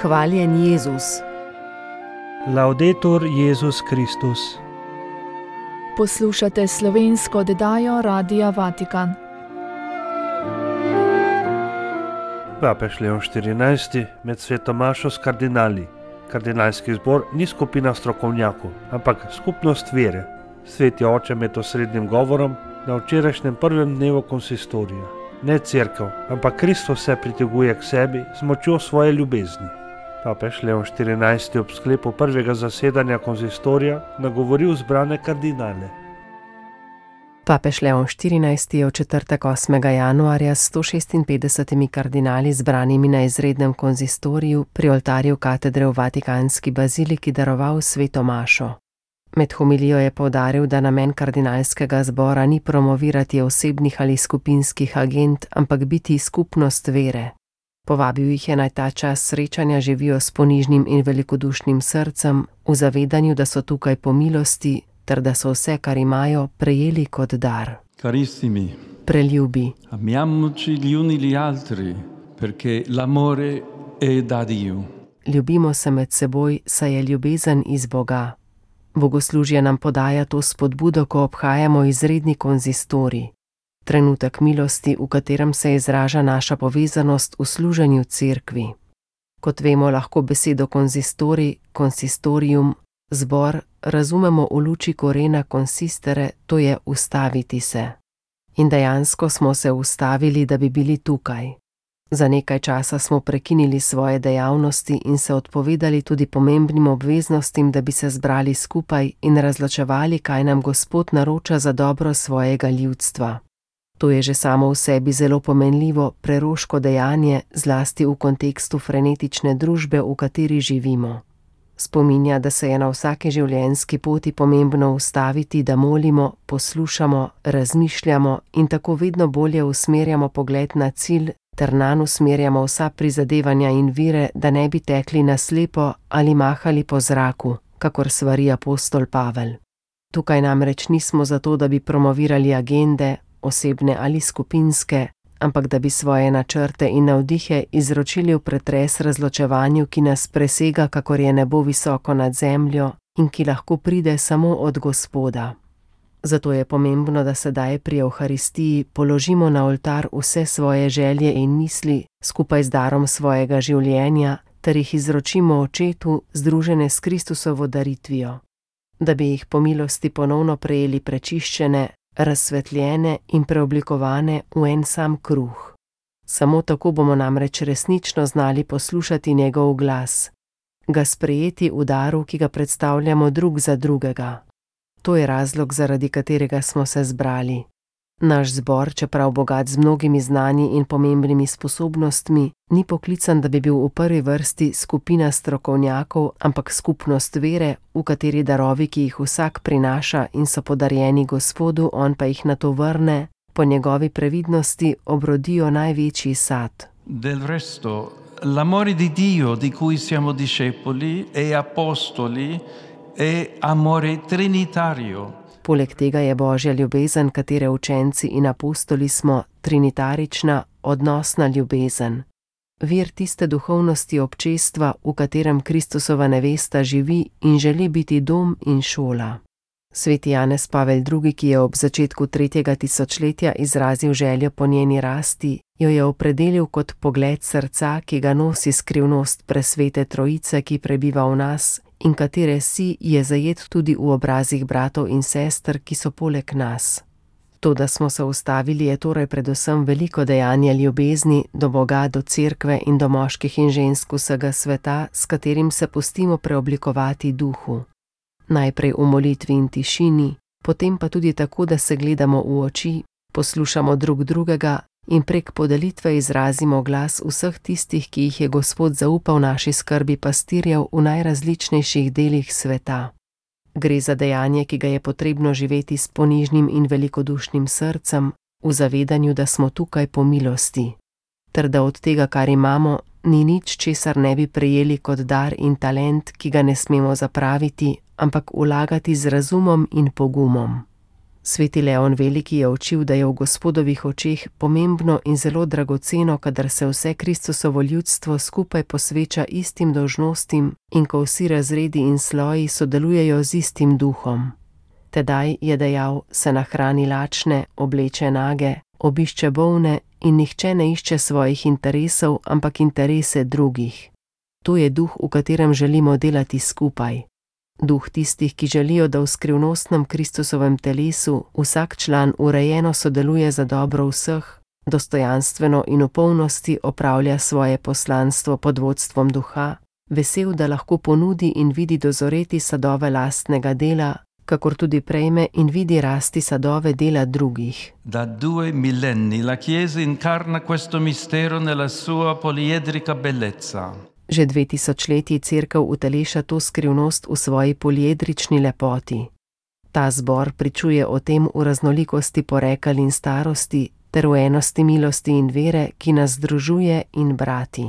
Hvaljen Jezus. Laudetur Jezus Kristus. Poslušate slovensko oddajo Radia Vatikan. Papež Leon XIV med sveto mašo s kardinali. Kardinalski zbor ni skupina strokovnjakov, ampak skupnost vere. Sveti oče med osrednjim govorom na včerajšnjem prvem dnevu konsistorija. Ne cerkev, ampak Kristus se priteguje k sebi z močjo svoje ljubezni. Papež Leon XIV ob sklepu prvega zasedanja konsistorija nagovoril zbrane kardinale. Papež Leon XIV je v četrtek 8. januarja s 156 kardinali zbranimi na izrednem konsistoriju pri oltarju katedre v Vatikanski baziliki daroval sveto mašo. Med homilijo je poudaril, da namen kardinalskega zbora ni promovirati osebnih ali skupinskih agend, ampak biti skupnost vere. Povabil jih je naj ta čas srečanja živijo s ponižnim in velikodušnim srcem, v zavedanju, da so tukaj po milosti, ter da so vse, kar imajo, prejeli kot dar. Carissimi, Preljubi. amiamoci gli uni gli altri, perché l'amore è da Dio. Ljubimo se med seboj, saj je ljubezen iz Boga. Bogoslužje nam podaja to spodbudo, ko obhajamo izredni konzistorij. Trenutek milosti, v katerem se izraža naša povezanost v služenju cerkvi. Kot vemo, lahko besedo konzistorij, konsistorium, zbor, razumemo v luči korena consistere, to je ustaviti se. In dejansko smo se ustavili, da bi bili tukaj. Za nekaj časa smo prekinili svoje dejavnosti in se odpovedali tudi pomembnim obveznostim, da bi se zbrali skupaj in razločevali, kaj nam Gospod naroča za dobro svojega ljudstva. To je že samo v sebi zelo pomenljivo, preroško dejanje, zlasti v kontekstu frenetične družbe, v kateri živimo. Spominja, da se je na vsaki življenjski poti pomembno ustaviti, da molimo, poslušamo, razmišljamo in tako vedno bolje usmerjamo pogled na cilj, ter nanj usmerjamo vsa prizadevanja in vire, da ne bi tekli na slepo ali mahali po zraku, kakor svari apostol Pavel. Tukaj namreč nismo zato, da bi promovirali agende, osebne ali skupinske, ampak da bi svoje načrte in navdihe izročili v pretres razločevanju, ki nas presega, kakor je nebo visoko nad zemljo in ki lahko pride samo od Gospoda. Zato je pomembno, da sedaj pri Evharistiji položimo na oltar vse svoje želje in misli skupaj z darom svojega življenja, ter jih izročimo Očetu, združene s Kristusovo daritvijo, da bi jih po milosti ponovno prejeli prečiščene, razsvetljene in preoblikovane v en sam kruh. Samo tako bomo namreč resnično znali poslušati njegov glas, ga sprejeti v daru, ki ga predstavljamo drug za drugega. To je razlog, zaradi katerega smo se zbrali. Naš zbor, čeprav bogat z mnogimi znanji in pomembnimi sposobnostmi, ni poklican, da bi bil v prvi vrsti skupina strokovnjakov, ampak skupnost vere, v kateri darovi, ki jih vsak prinaša in so podarjeni Gospodu, on pa jih nato vrne, po njegovi previdnosti obrodijo največji sad. Del resto, l'amore di Dio di cui siamo discepoli e apostoli è amore trinitario. Poleg tega je Božja ljubezen, katere učenci in apostoli smo, trinitarična, odnosna ljubezen. Vir tiste duhovnosti občestva, v katerem Kristusova nevesta živi in želi biti dom in šola. Sveti Janez Pavel II, ki je ob začetku 3. tisočletja izrazil željo po njeni rasti, jo je opredelil kot pogled srca, ki ga nosi skrivnost presvete Trojice, ki prebiva v nas, in katere si je zajet tudi v obrazih bratov in sester, ki so poleg nas. To, da smo se ustavili, je torej predvsem veliko dejanje ljubezni do Boga, do cerkve in do moških in žensk vsega sveta, s katerim se pustimo preoblikovati duhu. Najprej v molitvi in tišini, potem pa tudi tako, da se gledamo v oči, poslušamo drug drugega in prek podelitve izrazimo glas vseh tistih, ki jih je Gospod zaupal naši skrbi pastirjev v najrazličnejših delih sveta. Gre za dejanje, ki ga je potrebno živeti s ponižnim in velikodušnim srcem, v zavedanju, da smo tukaj po milosti, ter da od tega, kar imamo, ni nič, česar ne bi prejeli kot dar in talent, ki ga ne smemo zapraviti, ampak vlagati z razumom in pogumom. Sveti Leon Veliki je učil, da je v Gospodovih očeh pomembno in zelo dragoceno, kadar se vse Kristusovo ljudstvo skupaj posveča istim dolžnostim in ko vsi razredi in sloji sodelujejo z istim duhom. Tedaj, je dejal, se nahrani lačne, obleče nage, obišče bolne in nihče ne išče svojih interesov, ampak interese drugih. To je duh, v katerem želimo delati skupaj. Duh tistih, ki želijo, da v skrivnostnem Kristusovem telesu vsak član urejeno sodeluje za dobro vseh, dostojanstveno in v polnosti opravlja svoje poslanstvo pod vodstvom duha, vesel, da lahko ponudi in vidi dozoreti sadove lastnega dela, kakor tudi prejme in vidi rasti sadove dela drugih. Da 2 millenni la Chiesa incarna questo mistero nella sua poliedrica bellezza. Že 2000 letij Cerkev uteleša to skrivnost v svoji poliedrični lepoti. Ta zbor pričuje o tem v raznolikosti porekel in starosti, ter v enosti milosti in vere, ki nas združuje in brati.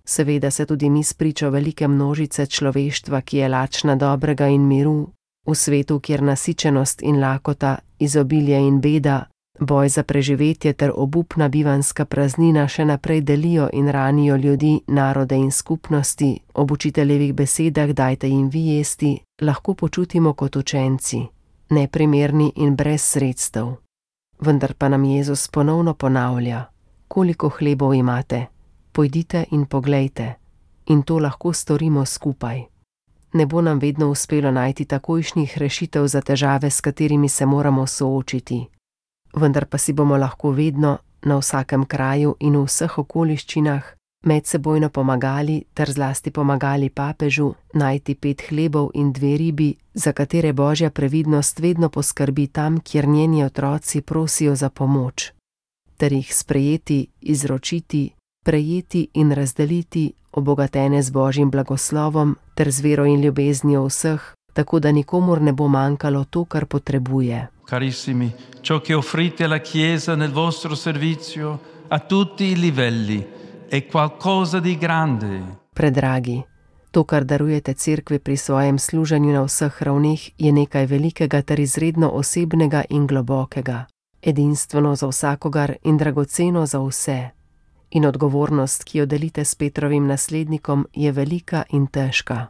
Seveda se tudi mi spričo velike množice človeštva, ki je lačna dobrega in miru, v svetu, kjer nasičenost in lakota, izobilje in beda, boj za preživetje ter obupna bivanska praznina še naprej delijo in ranijo ljudi, narode in skupnosti, ob učiteljevih besedah dajte jim vi jesti, lahko počutimo kot učenci, neprimerni in brez sredstev. Vendar pa nam Jezus ponovno ponavlja: koliko hlebov imate? Pojdite in poglejte. In to lahko storimo skupaj. Ne bo nam vedno uspelo najti takojšnjih rešitev za težave, s katerimi se moramo soočiti. Vendar pa si bomo lahko vedno, na vsakem kraju in v vseh okoliščinah, medsebojno pomagali ter zlasti pomagali papežu najti 5 hlebov in 2 ribi, za katere Božja previdnost vedno poskrbi tam, kjer njeni otroci prosijo za pomoč, ter jih sprejeti, izročiti, prejeti in razdeliti, obogatene z Božjim blagoslovom ter z vero in ljubeznijo vseh, tako da nikomur ne bo manjkalo to, kar potrebuje. Carissimi, ciò che offrite alla Chiesa nel vostro servizio a tutti i livelli è qualcosa di grande. Predragi, to, kar darujete Cerkvi pri svojem služenju na vseh ravneh, je nekaj velikega ter izredno osebnega in globokega, edinstveno za vsakogar in dragoceno za vse. In odgovornost, ki jo delite s Petrovim naslednikom, je velika in težka.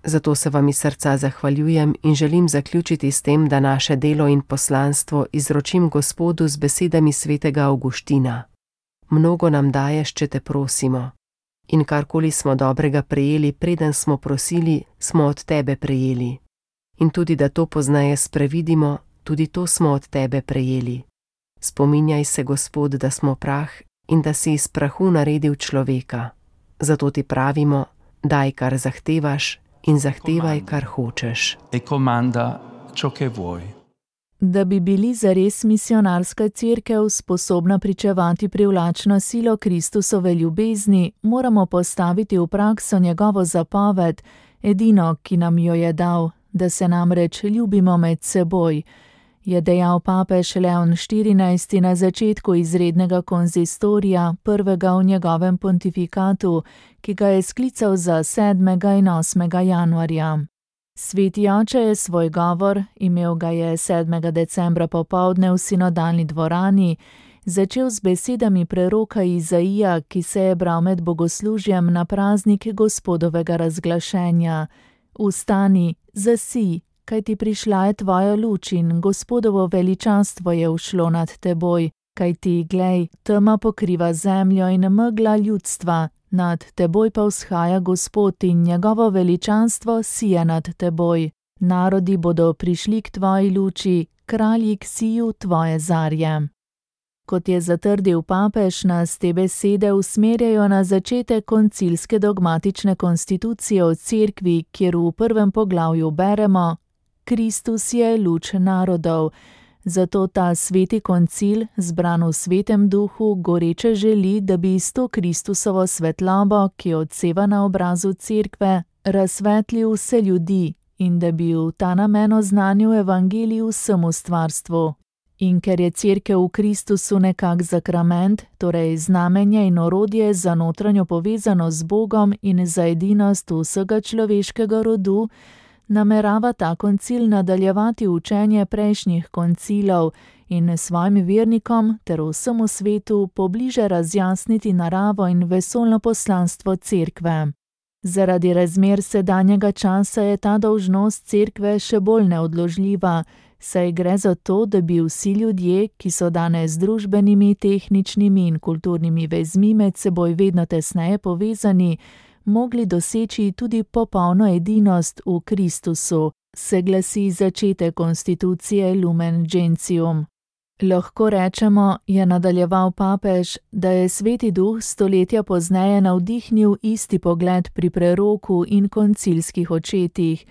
Zato se vam iz srca zahvaljujem in želim zaključiti s tem, da naše delo in poslanstvo izročim Gospodu z besedami svetega Avguština. Mnogo nam daješ, če te prosimo. In karkoli smo dobrega prejeli, preden smo prosili, smo od tebe prejeli. In tudi, da to pozneje sprevidimo, tudi to smo od tebe prejeli. Spominjaj se, Gospod, da smo prah in da si iz prahu naredil človeka. Zato ti pravimo, daj, kar zahtevaš, in zahtevaj, kar hočeš. E comanda ciò che vuoi. Da bi bili zares misionarska cerkev sposobna pričevati privlačno silo Kristusove ljubezni, moramo postaviti v prakso njegovo zapoved, edino, ki nam jo je dal, da se namreč ljubimo med seboj, je dejal papež Leon XIV na začetku izrednega konzistorija, prvega v njegovem pontifikatu, ki ga je sklical za 7. in 8. januarja. Sveti oče je svoj govor, imel ga je 7. decembra popoldne v sinodalni dvorani, začel z besedami preroka Izaija, ki se je bral med bogoslužjem na praznik Gospodovega razglašenja. Vstani, zasij, kajti prišla je tvoja luč in Gospodovo veličanstvo je ušlo nad teboj, kajti, glej, tema pokriva zemljo in megla ljudstva, nad teboj pa vzhaja Gospod in njegovo veličanstvo sije nad teboj. Narodi bodo prišli k tvoji luči, kralji k siju tvoje zarje. Kot je zatrdil papež, nas te besede usmerjajo na začetek koncilske dogmatične konstitucije o cerkvi, kjer v 1. poglavju beremo: Kristus je luč narodov. Zato ta sveti koncil, zbran v svetem duhu, goreče želi, da bi s to Kristusovo svetlobo, ki odseva na obrazu cerkve, razsvetlil vse ljudi in da bi v ta namen oznanil evangelij vsemu stvarstvu. In ker je cerkev v Kristusu nekak zakrament, torej znamenje in orodje za notranjo povezanost z Bogom in za edinost vsega človeškega rodu, namerava ta koncil nadaljevati učenje prejšnjih koncilov in svojim vernikom ter vsemu svetu pobliže razjasniti naravo in vesoljno poslanstvo cerkve. Zaradi razmer sedanjega časa je ta dolžnost cerkve še bolj neodložljiva, saj gre za to, da bi vsi ljudje, ki so danes z družbenimi, tehničnimi in kulturnimi vezmi med seboj vedno tesneje povezani, mogli doseči tudi popolno edinost v Kristusu, se glasi začetek konstitucije Lumen Gentium. Lahko rečemo, je nadaljeval papež, da je Sveti Duh stoletja pozneje navdihnil isti pogled pri preroku in koncilskih očetih,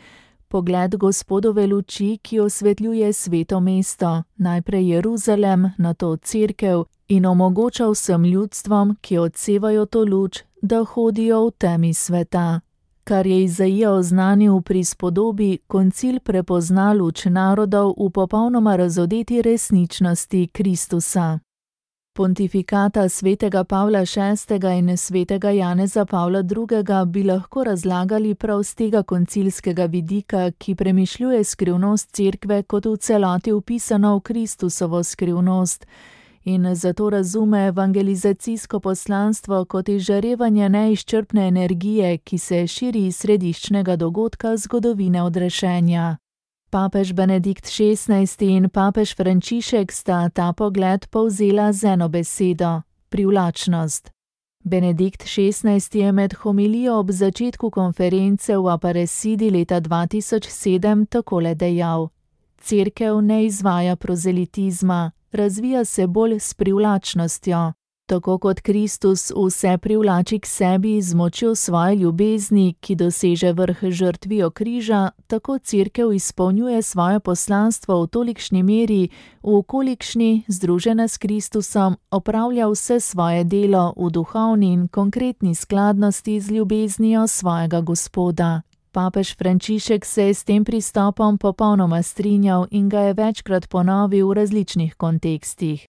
pogled Gospodove luči, ki osvetljuje sveto mesto, najprej Jeruzalem, nato cerkev, in omogoča vsem ljudstvom, ki odsevajo to luč, da hodijo v temi sveta. Kar je Izaija oznanil v prispodobi, koncil prepozna luč narodov v popolnoma razodeti resničnosti Kristusa. Pontifikata svetega Pavla VI. In svetega Janeza Pavla II. Bi lahko razlagali prav z tega koncilskega vidika, ki premišljuje skrivnost cerkve kot v celoti vpisano v Kristusovo skrivnost, in zato razume evangelizacijsko poslanstvo kot izžarevanje neizčrpne energije, ki se širi iz središčnega dogodka zgodovine odrešenja. Papež Benedikt XVI. In papež Frančišek sta ta pogled povzela z eno besedo – privlačnost. Benedikt XVI. Je med homilijo ob začetku konference v Aparecidi leta 2007 takole dejal: Cerkev ne izvaja prozelitizma, razvija se bolj s privlačnostjo. Tako kot Kristus vse privlači k sebi z močjo svoje ljubezni, ki doseže vrh žrtvijo križa, tako cerkev izpolnjuje svoje poslanstvo v tolikšni meri, v kolikšni, združena s Kristusom, opravlja vse svoje delo v duhovni in konkretni skladnosti z ljubeznijo svojega Gospoda. Papež Frančišek se je s tem pristopom popolnoma strinjal in ga je večkrat ponovil v različnih kontekstih.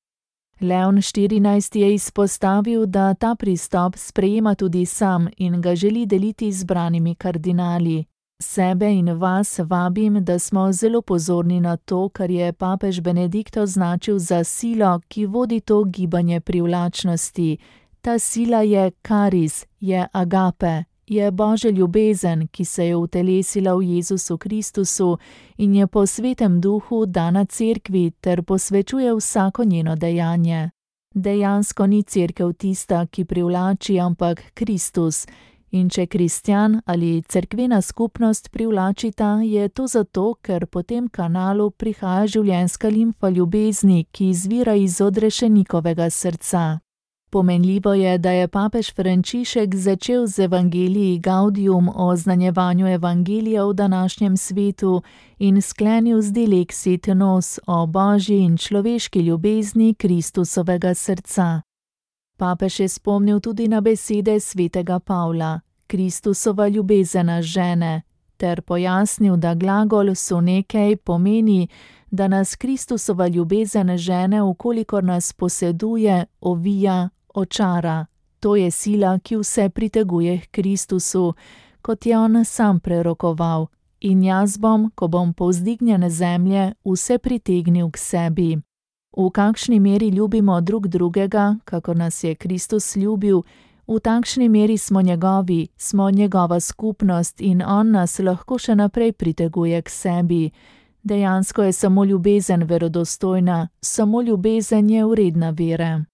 Leon XIV. Je izpostavil, da ta pristop sprejema tudi sam in ga želi deliti z branimi kardinali. Sebe in vas vabim, da smo zelo pozorni na to, kar je papež Benedikt označil za silo, ki vodi to gibanje privlačnosti. Ta sila je karis, je agape, je Božja ljubezen, ki se je utelesila v Jezusu Kristusu in je po Svetem Duhu dana cerkvi ter posvečuje vsako njeno dejanje. Dejansko ni cerkev tista, ki privlači, ampak Kristus. In če kristjan ali cerkvena skupnost privlačita, je to zato, ker po tem kanalu prihaja življenjska limfa ljubezni, ki izvira iz odrešenikovega srca. Pomenljivo je, da je papež Frančišek začel z Evangelii Gaudium o oznanjevanju evangelija v današnjem svetu in sklenil z Dilexit Nos o božji in človeški ljubezni Kristusovega srca. Papež je spomnil tudi na besede svetega Pavla, Kristusova ljubezena žene, ter pojasnil, da glagol sunekej pomeni, da nas Kristusova ljubezen žene, ukolikor nas poseduje, ovija, očara. To je sila, ki vse priteguje k Kristusu, kot je on sam prerokoval. In jaz bom, ko bom povzdignjen zemlje, vse pritegnil k sebi. V kakšni meri ljubimo drug drugega, kako nas je Kristus ljubil, v takšni meri smo njegovi, smo njegova skupnost in on nas lahko še naprej priteguje k sebi. Dejansko je samo ljubezen verodostojna, samo ljubezen je vredna vere.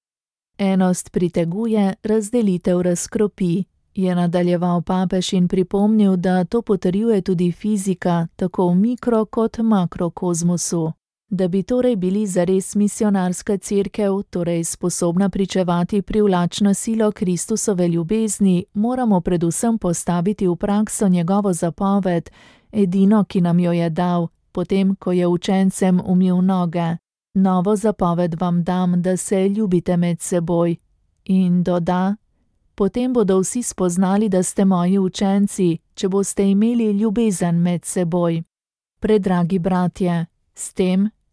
Enost priteguje, razdelitev razkropi, je nadaljeval papež in pripomnil, da to potrjuje tudi fizika, tako v mikro kot makrokozmosu. Da bi torej bili zares misionarska cerkev, torej sposobna pričevati privlačno silo Kristusove ljubezni, moramo predvsem postaviti v prakso njegovo zapoved, edino, ki nam jo je dal, potem, ko je učencem umil noge. Novo zapoved vam dam, da se ljubite med seboj. In doda, potem bodo vsi spoznali, da ste moji učenci, če boste imeli ljubezen med seboj. Predragi bratje,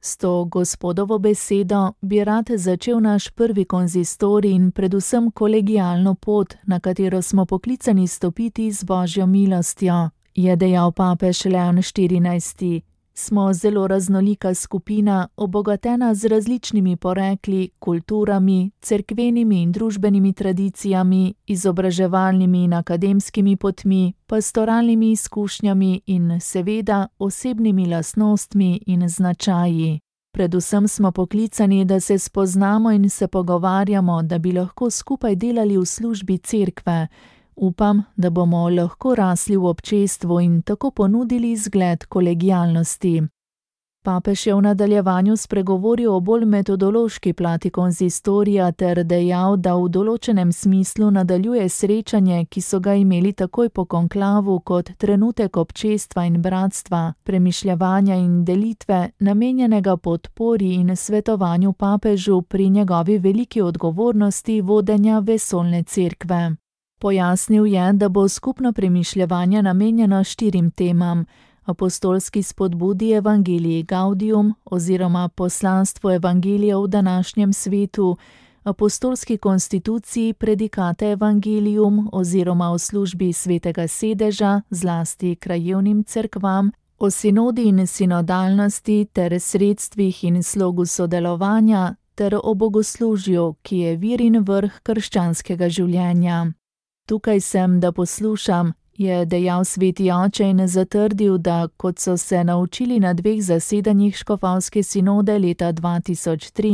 s to Gospodovo besedo bi rad začel naš prvi konzistorij in predvsem kolegialno pot, na katero smo poklicani stopiti z Božjo milostjo, je dejal papež Leon XIV. Smo zelo raznolika skupina, obogatena z različnimi porekli, kulturami, cerkvenimi in družbenimi tradicijami, izobraževalnimi in akademskimi potmi, pastoralnimi izkušnjami in seveda osebnimi lastnostmi in značaji. Predvsem smo poklicani, da se spoznamo in se pogovarjamo, da bi lahko skupaj delali v službi cerkve. Upam, da bomo lahko rasli v občestvu in tako ponudili zgled kolegialnosti. Papež je v nadaljevanju spregovoril o bolj metodološki plati konzistorija ter dejal, da v določenem smislu nadaljuje srečanje, ki so ga imeli takoj po konklavu kot trenutek občestva in bratstva, premišljevanja in delitve, namenjenega podpori in svetovanju papežu pri njegovi veliki odgovornosti vodenja vesoljne cerkve. Pojasnil je, da bo skupno premišljevanje namenjeno 4 temam: apostolski spodbudi Evangelii Gaudium oziroma poslanstvu Evangelija v današnjem svetu, apostolski konstituciji Predikate Evangelium oziroma o službi svetega sedeža, zlasti krajevnim cerkvam, o sinodi in sinodalnosti ter sredstvih in slogu sodelovanja ter o bogoslužju, ki je vir in vrh krščanskega življenja. Tukaj sem, da poslušam, je dejal sveti oče in zatrdil, da, kot so se naučili na 2 zasedanjih škofovske sinode leta 2023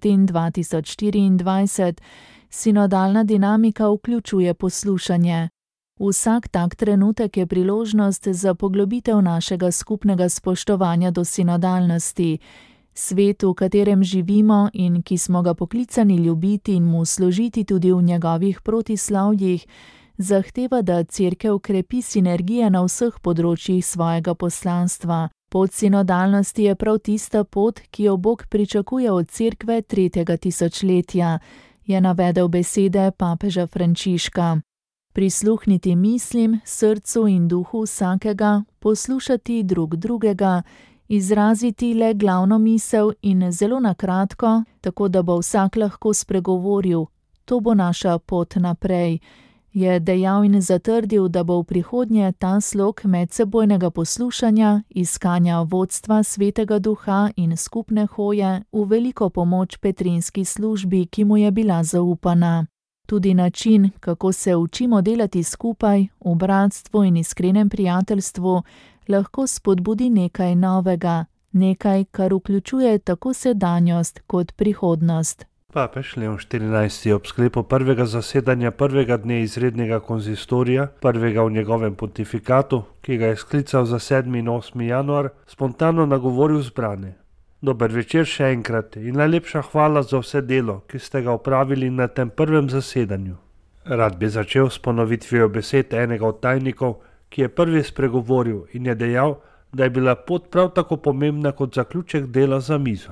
in 2024, sinodalna dinamika vključuje poslušanje. Vsak tak trenutek je priložnost za poglobitev našega skupnega spoštovanja do sinodalnosti. Svet, v katerem živimo in ki smo ga poklicani ljubiti in mu služiti tudi v njegovih protislovjih, zahteva, da cerkev krepi sinergije na vseh področjih svojega poslanstva. Pot sinodalnosti je prav tista pot, ki jo Bog pričakuje od cerkve 3. tisočletja, je navedel besede papeža Frančiška. Prisluhniti mislim, srcu in duhu vsakega, poslušati drug drugega, izraziti le glavno misel in zelo na kratko, tako da bo vsak lahko spregovoril. To bo naša pot naprej, je dejal in zatrdil, da bo v prihodnje ta slog medsebojnega poslušanja, iskanja vodstva svetega duha in skupne hoje v veliko pomoč petrinski službi, ki mu je bila zaupana. Tudi način, kako se učimo delati skupaj, v bratstvu in iskrenem prijateljstvu, lahko spodbudi nekaj novega, nekaj, kar vključuje tako sedanjost kot prihodnost. Papež Leon XIV je ob sklepu prvega zasedanja prvega dne izrednega konzistorija, prvega v njegovem pontifikatu, ki ga je sklical za 7. in 8. januar, spontano nagovoril zbrane. Dober večer še enkrat in najlepša hvala za vse delo, ki ste ga opravili na tem prvem zasedanju. Rad bi začel s ponovitvijo besed enega od tajnikov, ki je prvi spregovoril in je dejal, da je bila pot prav tako pomembna kot zaključek dela za mizo.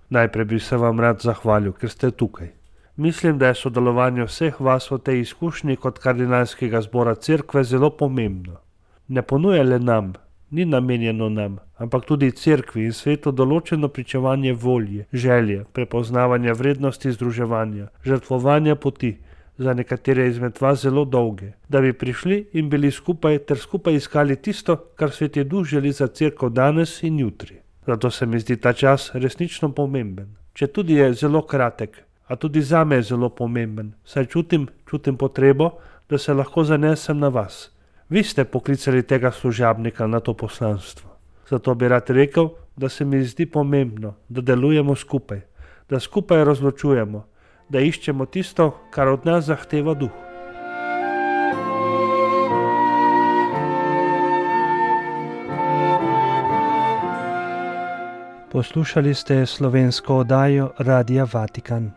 Najprej bi se vam rad zahvalil, ker ste tukaj. Mislim, da je sodelovanje vseh vas v tej izkušnji kot kardinalskega zbora cerkve zelo pomembno. Ne ponuja le nam, ni namenjeno nam, ampak tudi cerkvi in svetu določeno pričevanje volje, želje, prepoznavanja vrednosti združevanja, žrtvovanja poti, za nekatere izmed vas zelo dolge, da bi prišli in bili skupaj ter skupaj iskali tisto, kar Sveti Duh želi za cerkev danes in jutri. Zato se mi zdi ta čas resnično pomemben. Četudi je zelo kratek, a tudi zame je zelo pomemben, saj čutim potrebo, da se lahko zanesem na vas. Vi ste poklicali tega služabnika na to poslanstvo. Zato bi rad rekel, da se mi zdi pomembno, da delujemo skupaj, da skupaj razločujemo, da iščemo tisto, kar od nas zahteva Duh. Poslušali ste slovensko oddajo Radia Vatikan.